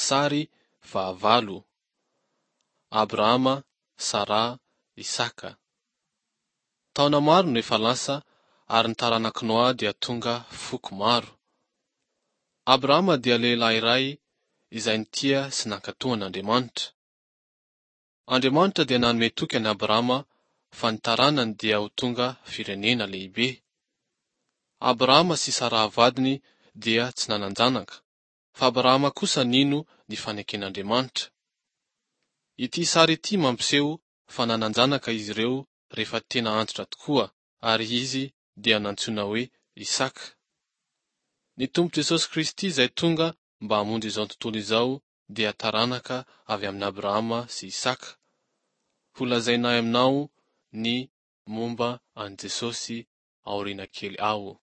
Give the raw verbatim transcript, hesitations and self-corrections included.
Sary fahavalo. Abrahama, Saraha, Isaka. Taona maro no efa lasa ary ny taranak'i Noa dia tonga foko maro. Abrahama dia lehilahy iray izay nitia sy nankatò an'Andriamanitra. Andriamanitra dia nanome toky an'i Abrahama fa ny taranany dia ho tonga firenena lehibe. Abrahama sy Saraha vadiny dia tsy nanan-janaka, fa Abrahama kosa nino ny faneken'Andriamanitra. Ity sary ity mampiseho fa nanan-janaka izy ireo rehefa tena antitra tokoa ary izy dia nantsoina hoe Isaka. Ny Tompo Jesosy Kristy izay tonga mba hamonjy izao tontolo izao dia taranaka avy amin'i Abrahama sy Isaka. Holazainay aminao ny momba an'i Jesosy aoriana kely ao.